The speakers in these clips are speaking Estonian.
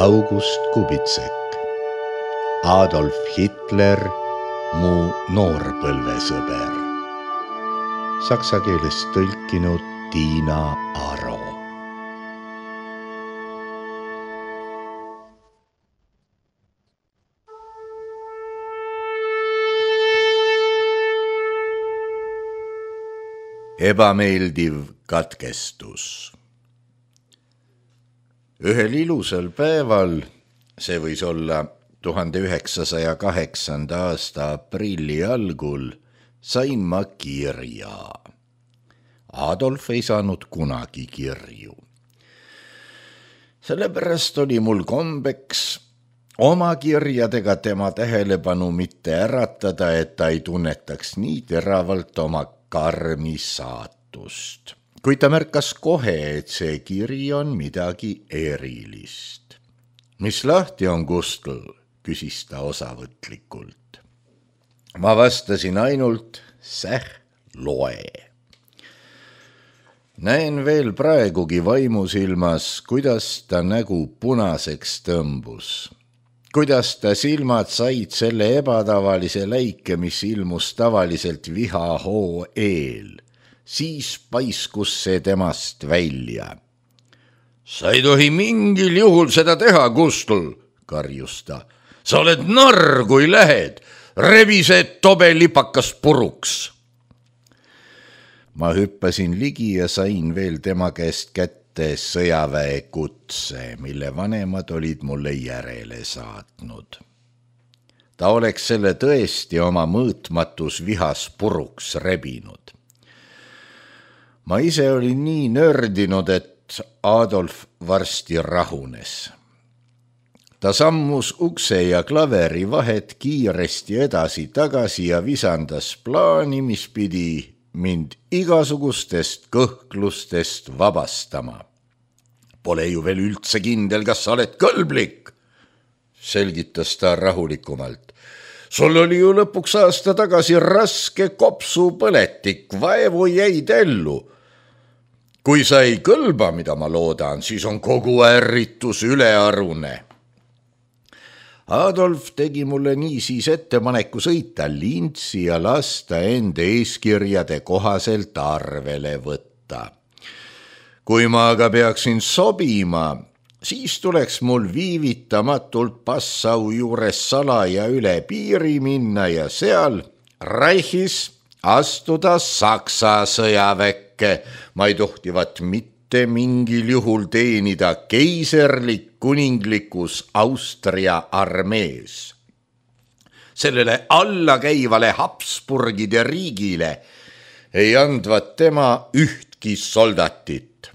August Kubitsek, Adolf Hitler, mu noorpõlvesõber. Saksa keelest tõlkinud Tiina Aro. Ebameeldiv katkestus. Ühel ilusal päeval, see võis olla 1908. aasta aprilli algul, sain ma kirja. Adolf ei saanud kunagi kirju. Sellepärast oli mul kombeks oma kirjadega tema tähelepanu mitte äratada, et ta ei tunnetaks nii teravalt oma karmi saatust. Kuid ta märkas kohe, et see kiri on midagi erilist. Mis lahti on, Gustl? Küsis ta osavõtlikult. Ma vastasin ainult, loe. Näen veel praegugi vaimusilmas, kuidas ta nägu punaseks tõmbus. Kuidas ta silmad said selle ebatavalise läike, mis ilmus tavaliselt vihahoo eel. Siis paiskus see temast välja. Sa ei tohi mingil juhul seda teha, Gustl, karjus ta. Sa oled narr, kui lähed. Rebi see tobelipakas puruks. Ma hüppasin ligi ja sain veel tema käest kätte sõjaväe kutse, mille vanemad olid mulle järele saatnud. Ta oleks selle tõesti oma mõõtmatus vihas puruks rebinud. Ma ise olin nii nördinud, et Adolf varsti rahunes. Ta sammus ukse ja klaveri vahet kiiresti edasi-tagasi ja visandas plaani, mis pidi mind igasugustest kõhklustest vabastama. Pole ju veel üldse kindel, kas sa oled kõlblik, selgitas ta rahulikumalt. Sul oli ju lõpuks aasta tagasi raske kopsupõletik, vaevu jäid ellu. Kui sa ei kõlba, mida ma loodan, siis on kogu ärritus ülearune. Adolf tegi mulle niisiis ettepaneku sõita Lintsi ja lasta enda eeskirjade kohaselt arvele võtta. Kui ma aga peaksin sobima, siis tuleks mul viivitamatult Passau juures salaja üle piiri minna ja seal Reichis astuda Saksa sõjaväkke. Ma ei tohtivat mitte mingil juhul teenida keiserlik kuninglikus Austria armees. Sellele allakäivale Habsburgide riigile ei andvat tema ühtki soldatit.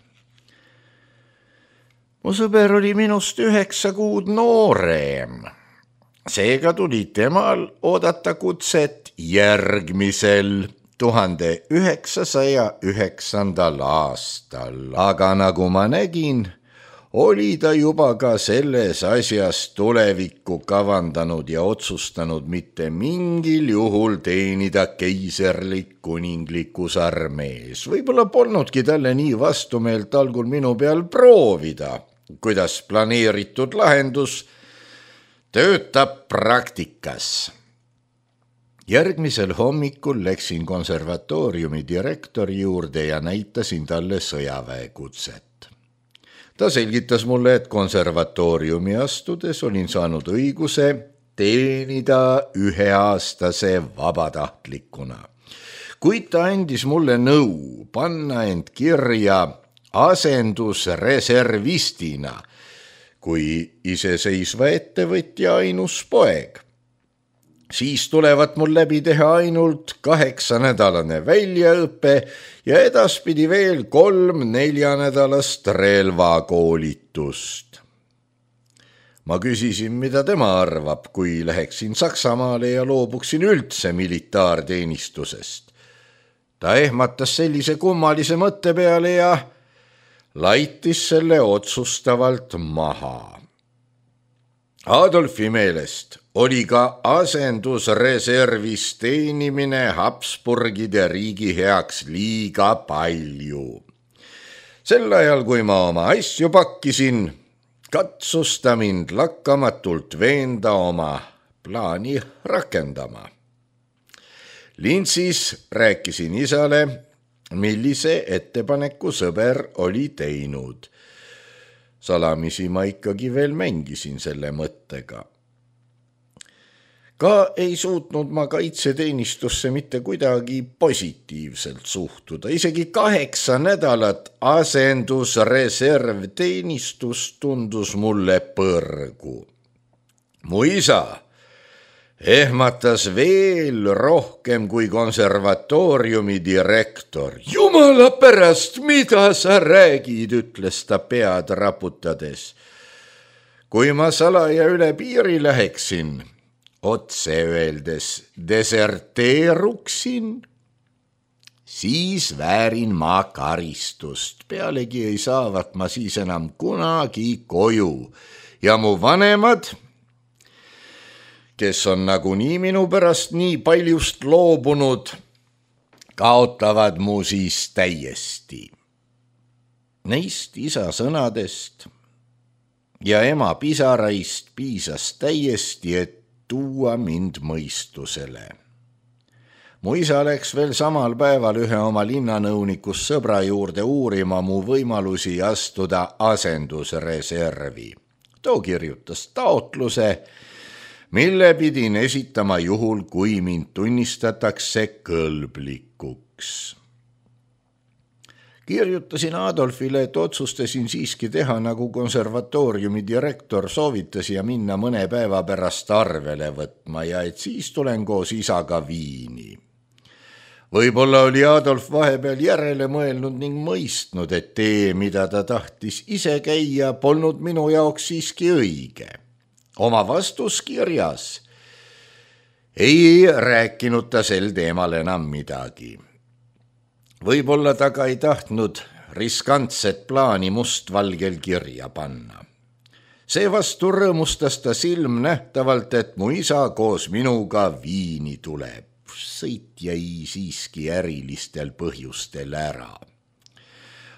Mu sõber oli minust 9 kuud noorem. Seega tuli temal oodata kutset järgmisel 1909. aastal, aga nagu ma nägin, oli ta juba ka selles asjas tulevikku kavandanud ja otsustanud mitte mingil juhul teenida keiserlik kuninglikus armees. Võib-olla polnudki talle nii vastumeelt algul minu peal proovida, kuidas planeeritud lahendus töötab praktikas. Järgmisel hommikul läksin konservatooriumi direktori juurde ja näitasin talle sõjaväekutset. Ta selgitas mulle, et konservatooriumi astudes olin saanud õiguse teenida 1-aastase vabatahtlikuna. Kuid ta andis mulle nõu panna end kirja asendusreservistina, kui iseseisva ettevõtja ainus poeg. Siis tulevad mul läbi teha ainult 8-nädalane väljaõpe ja edaspidi veel 3-4-nädalast relvakoolitust. Ma küsisin, mida tema arvab, kui läheksin Saksamaale ja loobuksin üldse militaarteenistusest. Ta ehmatas sellise kummalise mõtte peale ja laitis selle otsustavalt maha. Adolfi meelest oli ka asendusreservis teenimine Habsburgide riigi heaks liiga palju. Sel ajal, kui ma oma asju pakkisin, katsus ta mind lakkamatult veenda oma plaani rakendama. Lintsis rääkisin isale, millise ettepaneku sõber oli teinud. Salamisi ma ikkagi veel mängisin selle mõttega. Ka ei suutnud ma kaitseteenistusse mitte kuidagi positiivselt suhtuda. Isegi 8 nädalat asendusreservteenistus tundus mulle põrgu. Mu isa ehmatas veel rohkem kui konservatooriumi direktor. Jumala pärast, mida sa räägid, ütles ta pead raputades. Kui ma salaja üle piiri läheksin, otse öeldes deserteeruksin, siis väärin ma karistust. Pealegi ei saavat ma siis enam kunagi koju ja mu vanemad, kes on nagunii minu pärast nii paljust loobunud, kaotavad mu siis täiesti. Neist isa sõnadest ja ema pisaraist piisas täiesti, et tuua mind mõistusele. Mu isa läks veel samal päeval ühe oma linnanõunikus sõbra juurde uurima mu võimalusi astuda asendusreservi. Too kirjutas taotluse, mille pidin esitama juhul, kui mind tunnistatakse kõlblikuks. Kirjutasin Adolfile, et otsustasin siiski teha, nagu konservatooriumi direktor soovitas ja minna mõne päeva pärast arvele võtma ja et siis tulen koos isaga Viini. Võib-olla oli Adolf vahepeal järele mõelnud ning mõistnud, et tee, mida ta tahtis ise käia, polnud minu jaoks siiski õige. Oma vastuskirjas ei rääkinud ta sel teemal enam midagi. Võib-olla ta ka ei tahtnud riskantset plaani mustvalgel kirja panna. Seevastu rõõmustas ta silmnähtavalt, et mu isa koos minuga Viini tuleb. Sõit jäi siiski ärilistel põhjustel ära.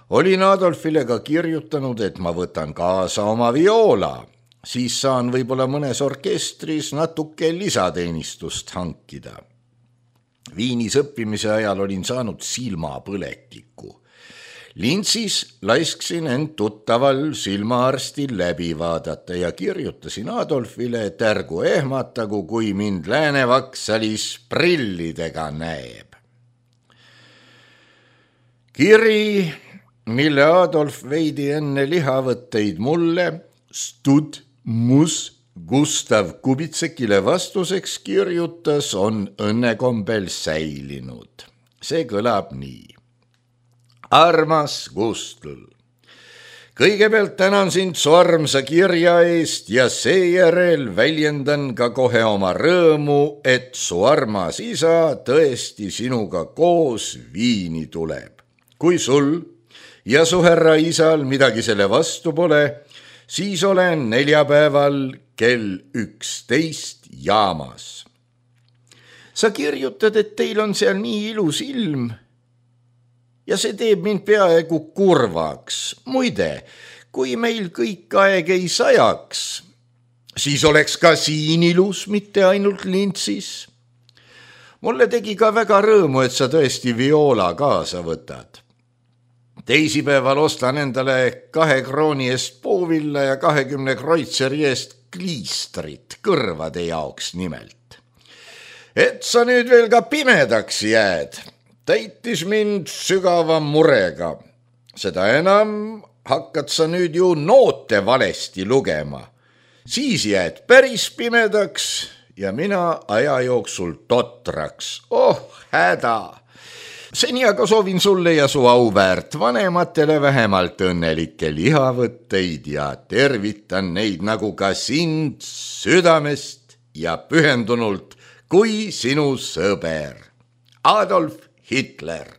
Olin Adolfile ka kirjutanud, et ma võtan kaasa oma vioola. Siis saan võib-olla mõnes orkestris natuke lisateenistust hankida. Viinis õppimise ajal olin saanud silmapõletiku. Lintsis laisksin end tuttaval silmaarstil läbi vaadata ja kirjutasin Adolfile, et ärgu ehmatagu, kui mind Läänevaksalis prillidega näeb. Kiri, mille Adolf veidi enne lihavõtteid mulle, Stud Mus Gustav Kubitsekile vastuseks kirjutas, on õnnekombel säilinud. See kõlab nii. Armas Gustl, kõigepealt tänan sind su armsa kirja eest ja seejärel väljendan ka kohe oma rõõmu, et su armas isa tõesti sinuga koos Viini tuleb. Kui sul ja su härra isal midagi selle vastu pole, siis olen neljapäeval kell 11 jaamas. Sa kirjutad, et teil on seal nii ilus ilm ja see teeb mind peaaegu kurvaks. Muide, kui meil kõik aeg ei sajaks, siis oleks ka siin ilus, mitte ainult Lintsis. Mulle tegi ka väga rõõmu, et sa tõesti vioola kaasa võtad. Teisipäeval ostan endale 2 krooni eest puuvilla ja 20 kreutzeri eest kliistrit kõrvade jaoks nimelt. Et sa nüüd veel ka pimedaks jääd, täitis mind sügava murega. Seda enam hakkad sa nüüd ju noote valesti lugema. Siis jääd päris pimedaks ja mina aja jooksul totraks. Oh, häda! Seni aga soovin sulle ja su auväärt vanematele vähemalt õnnelikke lihavõtteid ja tervitan neid nagu ka sind südamest ja pühendunult kui sinu sõber. Adolf Hitler.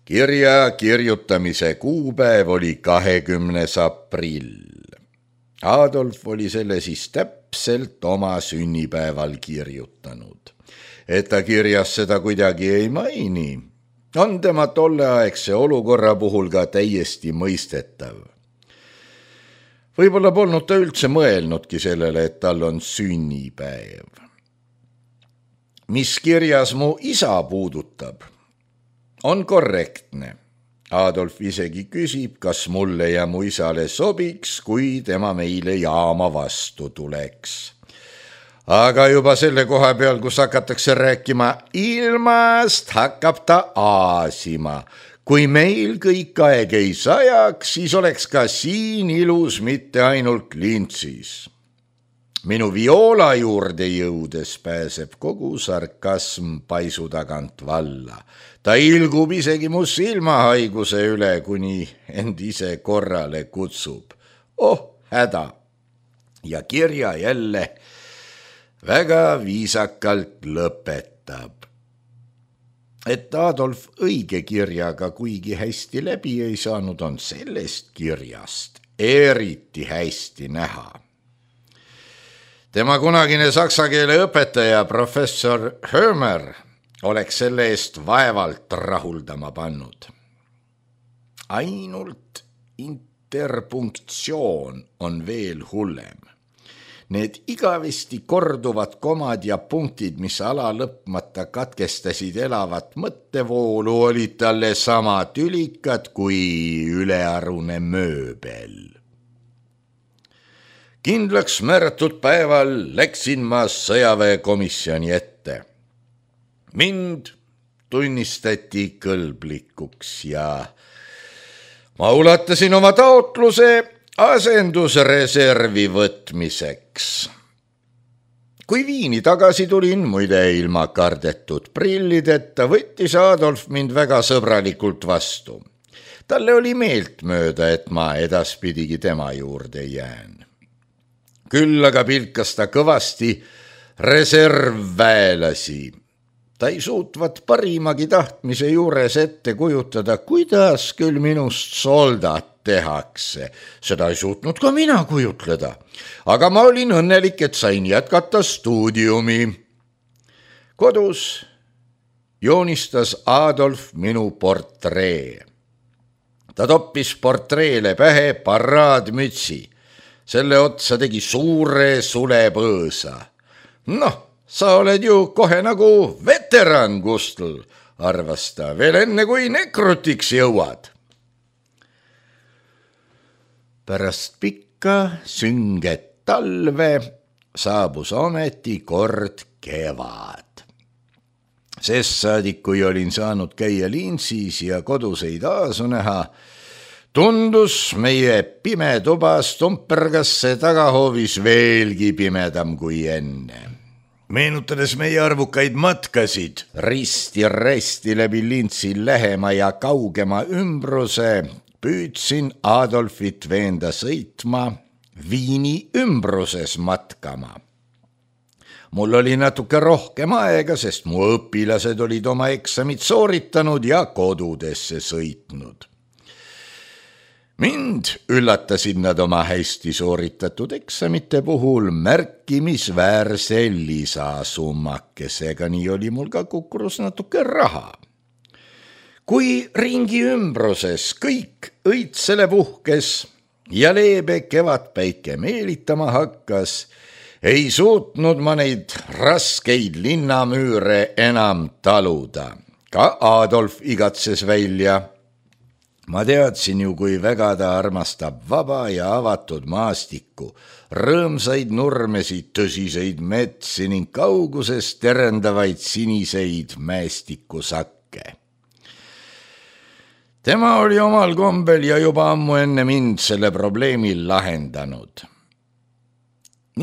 Kirja kirjutamise kuupäev oli 20. aprill. Adolf oli selle siis täpselt oma sünnipäeval kirjutanud. Et ta kirjas seda kuidagi ei maini, on tema tolleaegse olukorra puhul ka täiesti mõistetav. Võib-olla polnud ta üldse mõelnudki sellele, et tal on sünnipäev. Mis kirjas mu isa puudutab, on korrektne. Adolf isegi küsib, kas mulle ja mu isale sobiks, kui tema meile jaama vastu tuleks. Aga juba selle koha peal, kus hakatakse rääkima ilmast, hakkab ta aasima. Kui meil kõik aeg ei sajaks, siis oleks ka siin ilus, mitte ainult lintsis. Minu viola juurde jõudes pääseb kogu sarkasm paisu tagant valla. Ta ilgub isegi mu silmahaiguse üle, kuni end ise korrale kutsub. Oh, häda! Ja kirja jälle väga viisakalt lõpetab. Et Adolf õige kirjaga kuigi hästi läbi ei saanud, on sellest kirjast eriti hästi näha. Tema kunagine saksa keele õpetaja professor Hömer oleks selle eest vaevalt rahuldama pannud. Ainult interpunktsioon on veel hullem. Need igavesti korduvad komad ja punktid, mis ala lõpmata katkestasid elavat mõttevoolu, olid talle sama tülikad kui ülearune mööbel. Kindlaks määratud päeval läksin ma sõjaväekomisjoni ette. Mind tunnistati kõlblikuks ja ma ulatasin oma taotluse asendusreservi võtmiseks. Kui Viini tagasi tulin, muide ilma kardetud prillideta, võttis Adolf mind väga sõbralikult vastu. Talle oli meeltmööda, et ma edaspidigi tema juurde jään. Küll aga pilkas ta kõvasti reservväelasi. Ta ei suutvat parimagi tahtmise juures ette kujutada, kuidas küll minust soldat tehakse. Seda ei suutnud ka mina kujutleda. Aga ma olin õnnelik, et sain jätkata stuudiumi. Kodus joonistas Adolf minu portree. Ta toppis portreele pähe paraadmütsi. Selle otsa tegi suure sulepõõsa. Noh, sa oled ju kohe nagu veteran, Gustl, arvas ta, veel enne kui nekrutiks jõuad. Pärast pikka sünget talve saabus ometi kord kevad. Sest saadik, kui olin saanud käia Linsis ja koduseid aasu näha, tundus meie pime tuba Stumpergasse tagahoovis veelgi pimedam kui enne. Meenutades meie arvukaid matkasid risti läbi Lintsi lähema ja kaugema ümbruse, püüdsin Adolfit veenda sõitma Viini ümbruses matkama. Mul oli natuke rohkem aega, sest mu õpilased olid oma eksamid sooritanud ja kodudesse sõitnud. Mind üllatasid nad oma hästi sooritatud eksamite puhul märkimisväärse lisasummakesega, nii oli mul ka kukkurus natuke raha. Kui ringi ümbruses kõik õitsele puhkes ja leebe kevadpäike meelitama hakkas, ei suutnud ma neid raskeid linnamüüre enam taluda. Ka Adolf igatses välja. Ma teadsin ju, kui väga ta armastab vaba ja avatud maastikku, rõõmsaid nurmesid, tõsiseid metsi ning kaugusest terendavaid siniseid mäestikusakke. Tema oli omal kombel ja juba ammu enne mind selle probleemi lahendanud.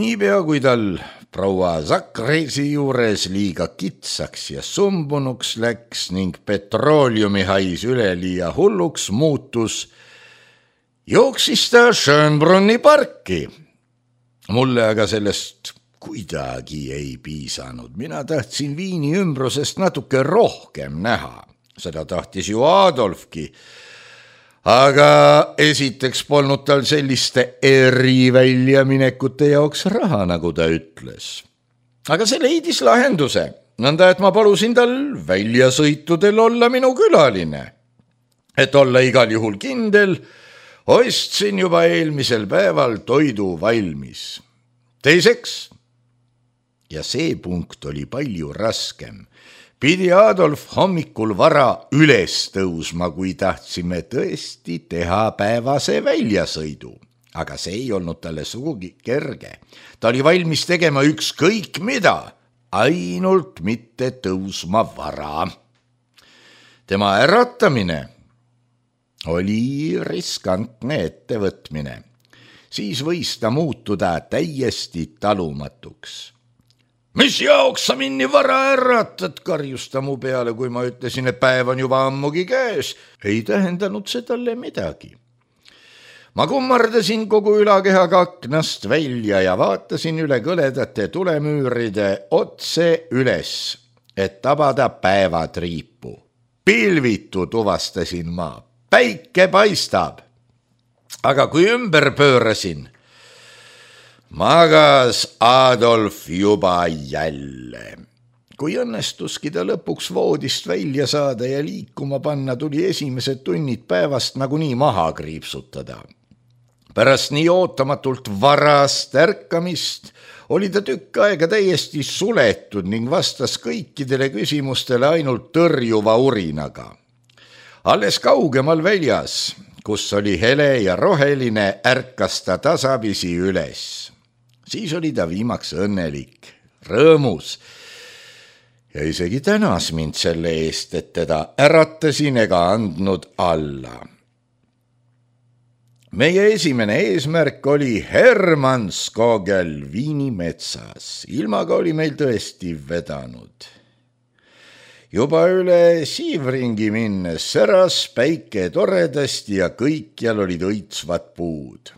Niipea kui tal proua Zakresi juures liiga kitsaks ja sumbunuks läks ning petrooliumi hais üleliia hulluks muutus, jooksis ta Schönbrunni parki. Mulle aga sellest kuidagi ei piisanud. Mina tahtsin Viini ümbrusest natuke rohkem näha. Seda tahtis ju Adolfki. Aga esiteks polnud tal selliste eriväljaminekute jaoks raha, nagu ta ütles. Aga see leidis lahenduse, nõnda et ma palusin tal väljasõitudel olla minu külaline. Et olla igal juhul kindel, Ostsin juba eelmisel päeval toidu valmis. Teiseks, ja see punkt oli palju raskem, pidi Adolf hommikul vara üles tõusma, kui tahtsime tõesti teha päevase väljasõidu. Aga see ei olnud talle sugugi kerge. Ta oli valmis tegema ükskõik mida, ainult mitte tõusma vara. Tema äratamine oli riskantne ettevõtmine. Siis võis ta muutuda täiesti talumatuks. Mis jaoks sa mind nii vara äratad, karjus ta mu peale, kui ma ütlesin, et päev on juba ammugi käes. Ei tähendanud see talle midagi. Ma kummardasin kogu ülakehaga aknast välja ja vaatasin üle kõledate tulemüüride otse üles, et tabada päevatriipu. Pilvitu tuvastasin ma. Päike paistab. Aga kui ümber pöörasin, magas Adolf juba jälle. Kui õnnestuski ta lõpuks voodist välja saada ja liikuma panna, tuli esimesed tunnid päevast nagunii maha kriipsutada. Pärast nii ootamatult varast ärkamist oli ta tükk aega täiesti suletud ning vastas kõikidele küsimustele ainult tõrjuva urinaga. Alles kaugemal väljas, kus oli hele ja roheline, ärkas ta tasapisi üles. Siis oli ta viimaks õnnelik, rõõmus ja isegi tänas mind selle eest, et teda äratasin ega andnud alla. Meie esimene eesmärk oli Hermannskogel Viinimetsas. Ilmaga oli meil tõesti vedanud. Juba üle Siivringi minnes säras päike toredasti ja kõikjal olid õitsvad puud.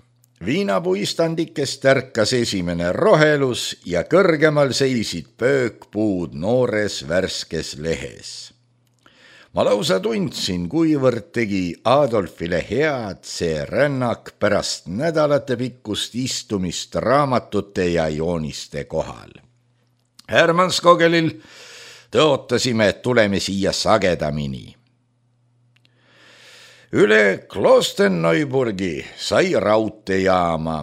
Viinapuistandikest ärkas esimene rohelus ja kõrgemal seisid pöökpuud noores värskes lehes. Ma lausa tundsin, kuivõrd tegi Adolfile head see rännak pärast nädalate pikkust istumist raamatute ja jooniste kohal. Hermannskogelil tõotasime, et tuleme siia sagedamini. Üle Klosterneuburgi sai raudteejaama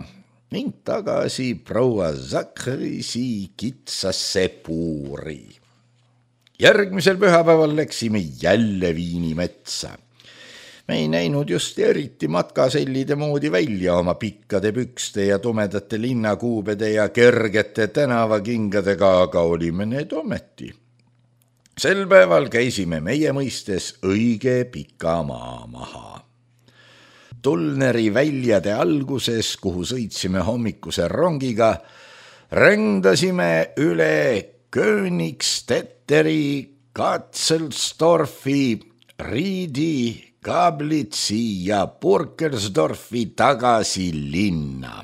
ning tagasi proua Zakrisi kitsasse puuri. Järgmisel pühapäeval läksime jälle Viinimetsa. Me ei näinud just eriti matkasellide moodi välja oma pikkade pükste ja tumedate linnakuubede ja kergete tänavakingadega, aga olime need ometi. Sel päeval käisime meie mõistes õige pika maa maha. Tulneri väljade alguses, kuhu sõitsime hommikuse rongiga, rändasime üle Königstetteri, Katzelsdorfi, Riidi, Kablitsi ja Burkersdorfi tagasi linna.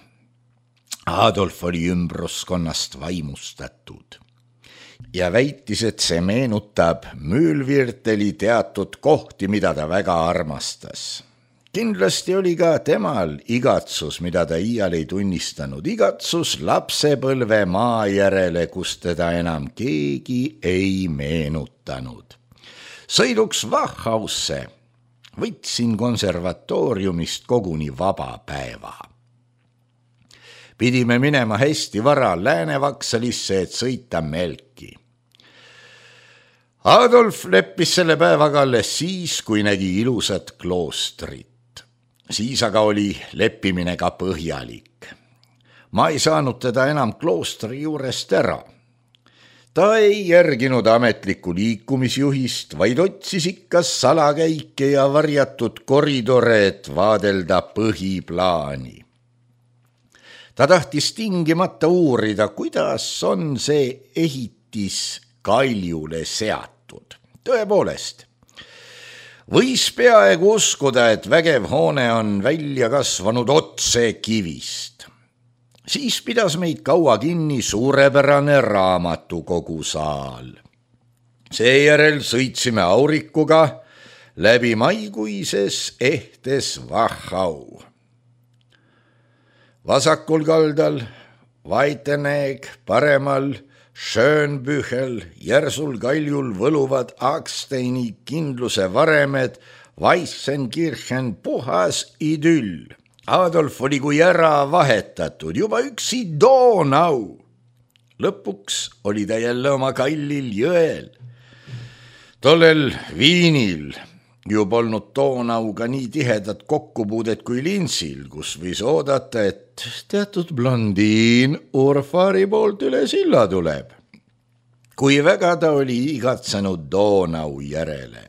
Adolf oli ümbruskonnast vaimustatud ja väitis, et see meenutab Mühlvierteli teatud kohti, mida ta väga armastas. Kindlasti oli ka temal igatsus, mida ta iial ei tunnistanud, igatsus lapsepõlve maa järele, kus teda enam keegi ei meenutanud. Sõiduks Wachhausse võtsin konservatooriumist koguni vaba päeva. Pidime minema hästi vara Lääne-Vaksalisse, et sõita Melki. Adolf leppis selle päevaga alles siis, kui nägi ilusat kloostrit. Siis aga oli leppimine ka põhjalik. Ma ei saanud teda enam kloostri juurest ära. Ta ei järginud ametlikku liikumisjuhist, vaid otsis ikka salakäike ja varjatud koridore, et vaadelda põhiplaani. Ta tahtis tingimata uurida, kuidas on see ehitis kaljule seatud. Tõepoolest, võis peaaegu uskuda, et vägev hoone on välja kasvanud otse kivist. Siis pidas meid kaua kinni suurepärane raamatukogusaal. Seejärel sõitsime aurikuga läbi maikuises ehtes Wachau. Vasakul kaldal Weitenegg, paremal Schönbüchel, järsul kaljul võluvad Aagsteini kindluse varemed, Weissenkirchen puhas idüll. Adolf oli kui ära vahetatud, juba üksi Donau. Lõpuks oli ta jälle oma kallil jõel. Tollel Viinil ju polnud Donauga nii tihedat kokkupuudet kui Linsil, kus võis oodata, et teatud blondiin Urfari poolt üle silla tuleb. Kui väga ta oli igatsenud Donau järele.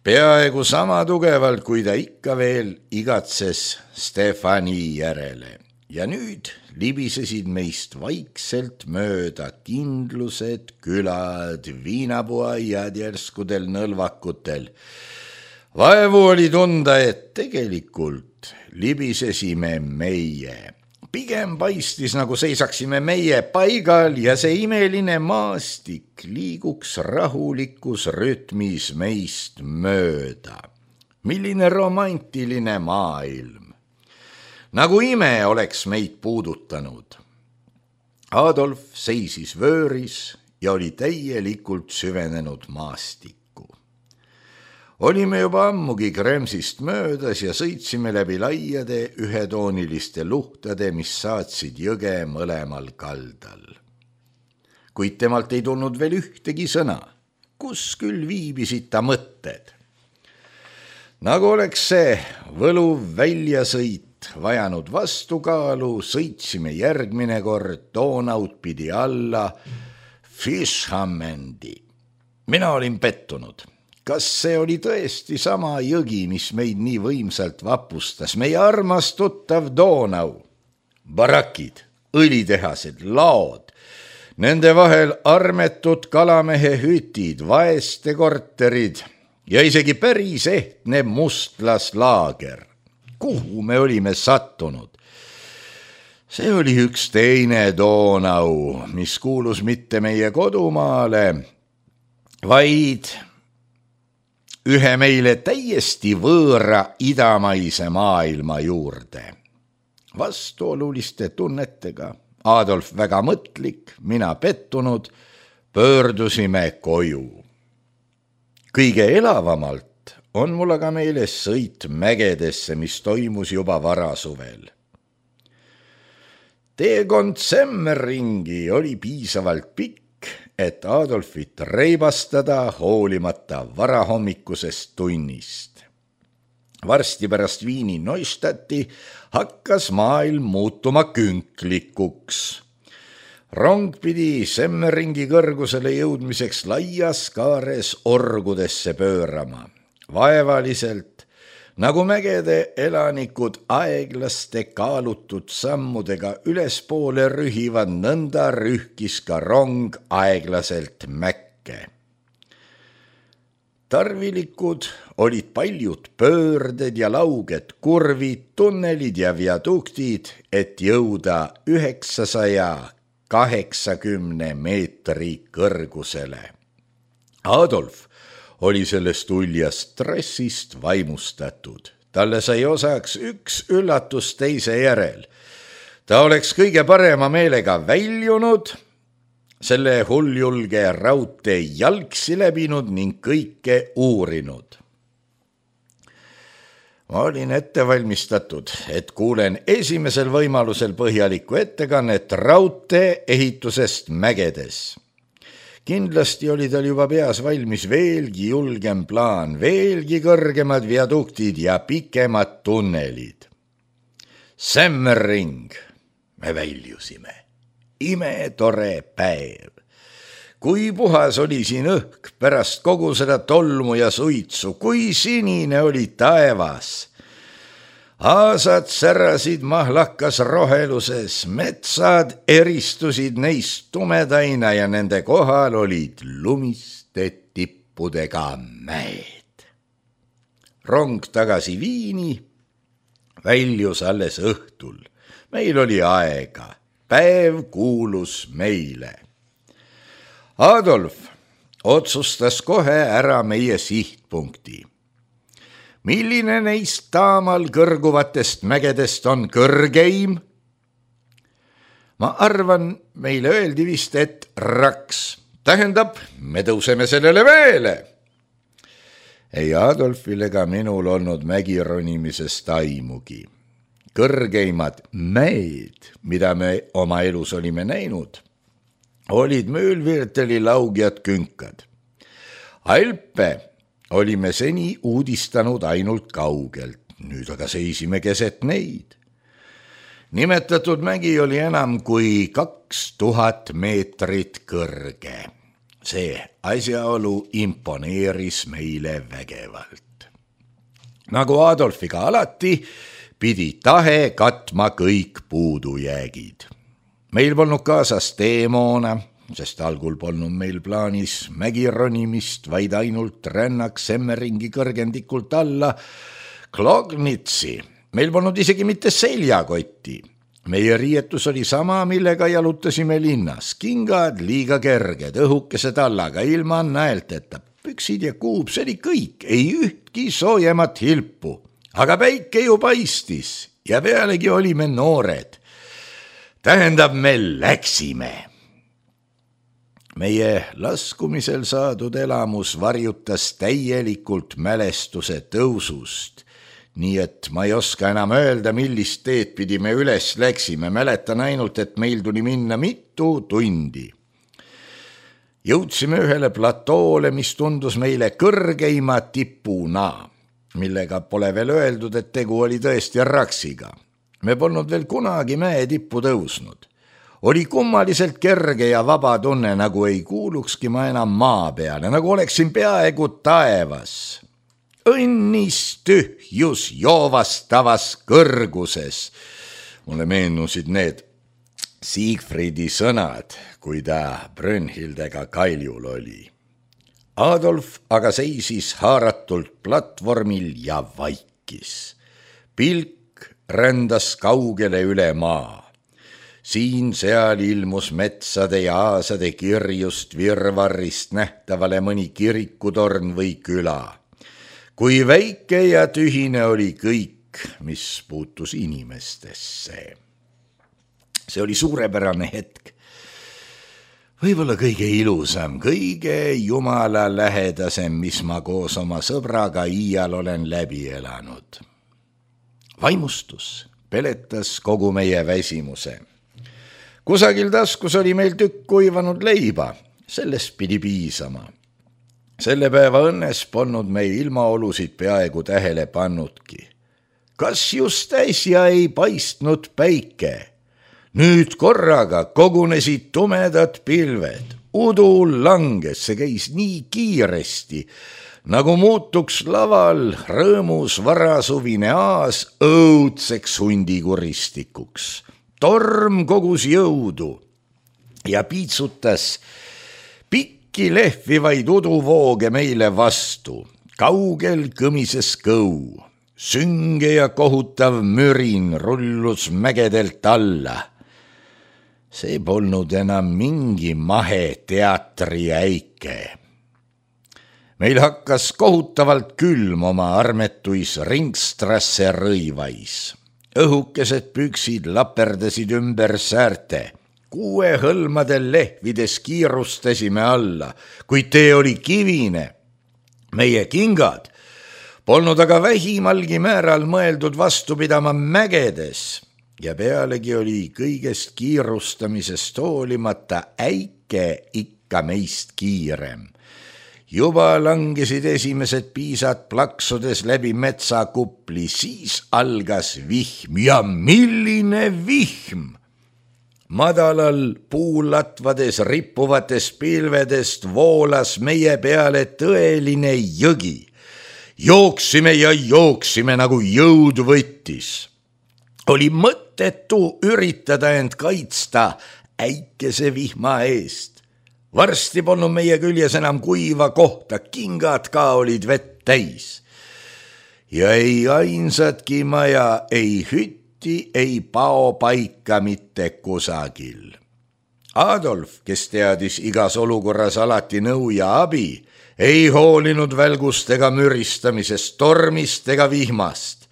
Peaaegu sama tugevalt, kui ta ikka veel igatses Stefani järele. Ja nüüd libisesid meist vaikselt mööda kindlused, külad, viinapuaiad järskudel nõlvakutel. Vaevu oli tunda, et tegelikult libisesime meie. Pigem paistis, nagu seisaksime meie paigal ja see imeline maastik liiguks rahulikus rütmis meist mööda. Milline romantiline maailm. Nagu ime oleks meid puudutanud. Adolf seisis vööris ja oli täielikult süvenenud maastikku. Olime juba ammugi Kremsist möödas ja sõitsime läbi laiade ühetooniliste luhtade, mis saatsid jõge mõlemal kaldal. Kuid temalt ei tulnud veel ühtegi sõna, kus küll viibisid ta mõtted. Nagu oleks see võluv väljasõit vajanud vastukaalu, sõitsime järgmine kord Donaut pidi alla Fischhammendi. Mina olin pettunud. Kas see oli tõesti sama jõgi, mis meid nii võimsalt vapustas, meie armas tuttav Donau? Barakid, õlitehased, laod, nende vahel armetud kalamehe hütid, vaeste korterid ja isegi päris ehtne mustlaslaager. Kuhu me olime sattunud? See oli üks teine Donau, mis kuulus mitte meie kodumaale, vaid ühe meile täiesti võõra idamaise maailma juurde. Vastuoluliste tunnetega, Adolf väga mõtlik, mina pettunud, pöördusime koju. Kõige elavamalt on mul aga meeles sõit mägedesse, mis toimus juba varasuvel. Teekond Semmeringi oli piisavalt pikk, et Adolfit reibastada hoolimata varahommikusest tunnist. Varsti pärast Viini Neustadti hakkas maailm muutuma künklikuks. Rong pidi Semmeringi kõrgusele jõudmiseks laias kaares orgudesse pöörama. Vaevaliselt, nagu mägede elanikud aeglaste kaalutud sammudega ülespoole rühivad, nõnda rühkis ka rong aeglaselt mäkke. Tarvilikud olid paljud pöörded ja lauged kurvid, tunnelid ja viaduktid, et jõuda 980 meetri kõrgusele. Adolf oli sellest uljast dressist vaimustatud. Talle sai osaks üks üllatus teise järel. Ta oleks kõige parema meelega väljunud, selle hulljulge raudtee jalgsi läbinud ning kõike uurinud. Ma olin ette valmistatud, et kuulen esimesel võimalusel põhjalikku ettekannet raudtee ehitusest mägedes. Kindlasti oli tal juba peas valmis veelgi julgem plaan, veelgi kõrgemad viaduktid ja pikemad tunnelid. Semmering, me väljusime. Imetore päev. Kui puhas oli siin õhk pärast kogu seda tolmu ja suitsu, kui sinine oli taevas. Aasad särasid mahlakas roheluses, metsad eristusid neist tumedaina ja nende kohal olid lumiste tippudega mäed. Rong tagasi Viini väljus alles õhtul. Meil oli aega, päev kuulus meile. Adolf otsustas kohe ära meie sihtpunkti. Milline neist taamal kõrguvatest mägedest on kõrgeim? Ma arvan, meile öeldi vist, et Raks. Tähendab, me tõuseme sellele mäele. Ei Adolfil ega minul olnud mägironimisest aimugi. Kõrgeimad mäed, mida me oma elus olime näinud, olid Mühlvierteli laugjad künkad. Alpe olime seni uudistanud ainult kaugelt, nüüd aga seisime keset neid. Nimetatud mägi oli enam kui 2000 meetrit kõrge. See asjaolu imponeeris meile vägevalt. Nagu Adolfiga alati, pidi tahe katma kõik puudujäägid. Meil polnud kaasas teemoona, sest algul polnud meil plaanis mägironimist, vaid ainult rännak Semmeringi kõrgendikult alla Klognitsi. Meil polnud isegi mitte seljakotti. Meie riietus oli sama, millega jalutasime linnas. Kingad liiga kerged, õhukese tallaga, ilma näelteta. Püksid ja kuub, see oli kõik, ei ühtki soojemat hilpu. Aga päike ju paistis ja pealegi olime noored. Tähendab, me läksime. Meie laskumisel saadud elamus varjutas täielikult mälestuse tõusust. Nii et ma ei oska enam öelda, millist teed pidi me üles läksime. Mäletan ainult, et meil tuli minna mitu tundi. Jõudsime ühele platoole, mis tundus meile kõrgeima tipuna, millega pole veel öeldud, et tegu oli tõesti raksiga. Me polnud veel kunagi mäe tippu tõusnud. Oli kummaliselt kerge ja vaba tunne, nagu ei kuulukski ma enam maa peale, nagu oleksin peaaegu taevas. Õnnis tühjus joovastavas kõrguses. Mulle meenusid need Siegfriedi sõnad, kui ta Brünnhildega kaljul oli. Adolf aga seisis haaratult platvormil ja vaikis. Pilk rändas kaugele üle maa. Siin-seal ilmus metsade ja aasade kirjust virvarrist nähtavale mõni kirikutorn või küla. Kui väike ja tühine oli kõik, mis puutus inimestesse. See oli suurepärane hetk. Võib-olla kõige ilusam, kõige jumala lähedasem, mis ma koos oma sõbraga iial olen läbi elanud. Vaimustus peletas kogu meie väsimuse. Kusagil taskus oli meil tükk kuivanud leiba, sellest pidi piisama. Selle päeva õnnes polnud meil ilmaolusid peaaegu tähele pannudki. Kas just äsja ei paistnud päike? Nüüd korraga kogunesid tumedad pilved. Udu langes, see käis nii kiiresti, nagu muutuks laval rõõmus varasuvine aas õudseks hundikuristikuks. Torm kogus jõudu ja piitsutas lehvivaid uduvooge meile vastu. Kaugel kõmises kõu. Sünge ja kohutav mürin rullus mägedelt alla. See polnud enam mingi mahe teatri äike. Meil hakkas kohutavalt külm oma armetuis Ringstrasse rõivais. Õhukesed püksid laperdasid ümber säärte. 6 hõlmadel lehvides kiirustasime alla, kuid tee oli kivine. Meie kingad polnud aga vähimalgi määral mõeldud vastu pidama mägedes ja pealegi oli kõigest kiirustamisest hoolimata äike ikka meist kiirem. Juba langesid esimesed piisad plaksudes läbi metsakupli, siis algas vihm ja milline vihm! Madalal puulatvades rippuvatest pilvedest voolas meie peale tõeline jõgi. Jooksime ja jooksime, nagu jõud võttis. Oli mõttetu üritada end kaitsta äikese vihma eest. Varsti polnud meie küljes enam kuiva kohta, kingad ka olid vett täis. Ja ei ainsatki maja, ei hütt, ei pao paika mitte kusagil. Adolf, kes teadis igas olukorras alati nõu ja abi, ei hoolinud välgust ega müristamisest, tormist ega vihmast.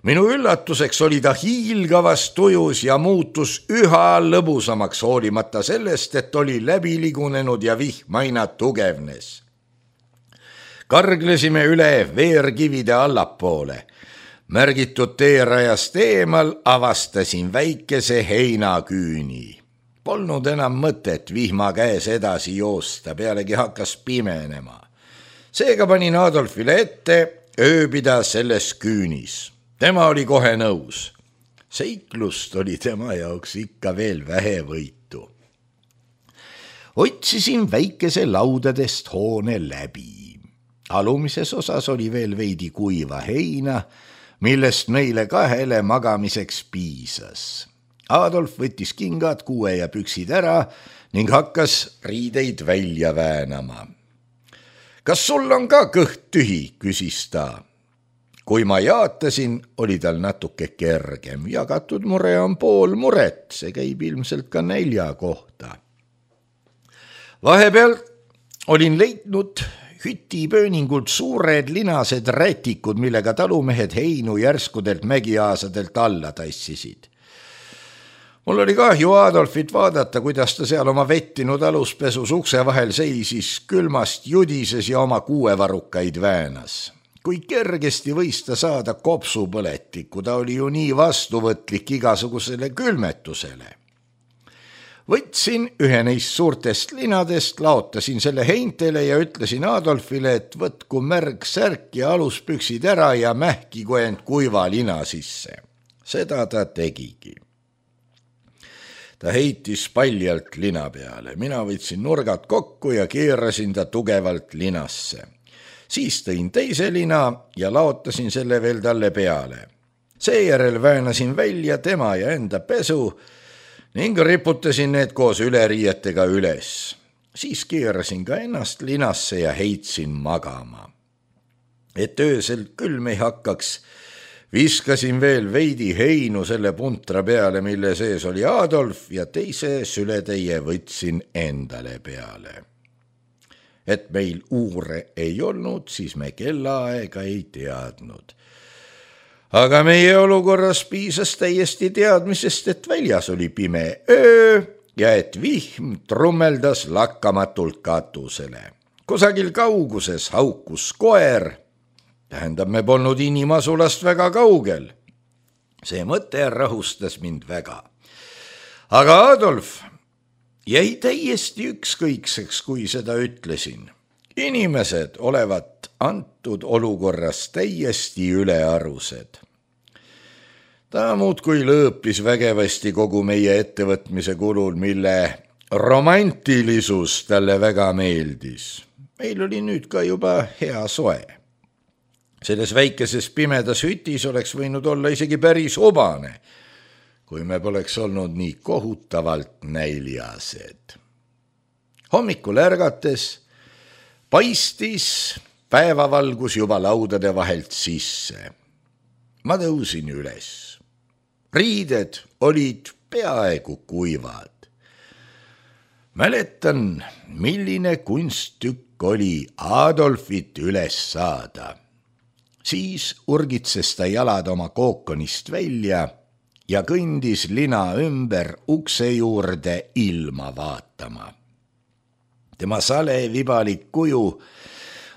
Minu üllatuseks oli ta hiilgavas tujus ja muutus üha lõbusamaks, hoolimata sellest, et oli läbi ligunenud ja vihm aina tugevnes. Karglesime üle veerkivide allapoole. Märgitud teerajast eemal avastasin väikese heinaküüni. Polnud enam mõtet vihma käes edasi joosta, pealegi hakkas pimenema. Seega panin Adolfile ette ööbida selles küünis. Tema oli kohe nõus. Seiklust oli tema jaoks ikka veel vähevõitu. Otsisin väikese laudadest hoone läbi. Alumises osas oli veel veidi kuiva heina, millest meile kahele magamiseks piisas. Adolf võttis kingad, kuue ja püksid ära ning hakkas riideid välja väänama. Kas sul on ka kõht tühi, küsis ta. Kui ma jaatasin, oli tal natuke kergem. Jagatud mure on pool muret, see käib ilmselt ka nälja kohta. Vahepeal olin leidnud hütipööningult suured linased rätikud, millega talumehed heinu järskudelt mägiaasadelt alla tassisid. Mul oli kahju Adolfit vaadata, kuidas ta seal oma vettinud aluspesus ukse vahel seisis, külmast judises ja oma kuuevarukaid väänas. Kui kergesti võis ta saada kopsupõletikku, ta oli ju nii vastuvõtlik igasugusele külmetusele. Võtsin ühe neist suurtest linadest, laotasin selle heintele ja ütlesin Adolfile, et võtku märg särk ja aluspüksid ära ja mähkigu end kuiva lina sisse. Seda ta tegigi. Ta heitis paljalt lina peale. Mina võtsin nurgad kokku ja keerasin ta tugevalt linasse. Siis tõin teise lina ja laotasin selle veel talle peale. Seejärel väänasin välja tema ja enda pesu ning riputasin need koos üleriietega üles. Siis keerasin ka ennast linasse ja heitsin magama. Et öösel külm ei hakkaks, viskasin veel veidi heinu selle puntra peale, mille sees oli Adolf ja teise sületäie võtsin endale peale. Et meil uure ei olnud, siis me kellaaega ei teadnud. Aga meie olukorras piisas täiesti teadmisest, et väljas oli pime öö ja et vihm trummeldas lakkamatult katusele. Kusagil kauguses haukus koer, tähendab, me polnud inimasulast väga kaugel. See mõte rahustas mind väga. Aga Adolf jäi täiesti ükskõikseks, kui seda ütlesin. Inimesed olevat antud olukorras täiesti ülearused. Ta muudkui lõõpis vägevasti kogu meie ettevõtmise kulul, mille romantilisus talle väga meeldis. Meil oli nüüd ka juba hea soe. Selles väikeses pimedas hütis oleks võinud olla isegi päris hobane, kui me poleks olnud nii kohutavalt näljased. Hommikul ärgates paistis päevavalgus juba laudade vahelt sisse. Ma tõusin üles. Riided olid peaaegu kuivad. Mäletan, milline kunsttükk oli Adolfit üles saada. Siis urgitses ta jalad oma kookonist välja ja kõndis lina ümber ukse juurde ilma vaatama. Tema sale vibalik kuju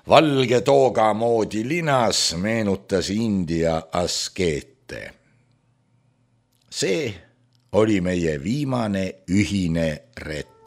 valge tooga moodi linas meenutas India askeete. See oli meie viimane ühine ret.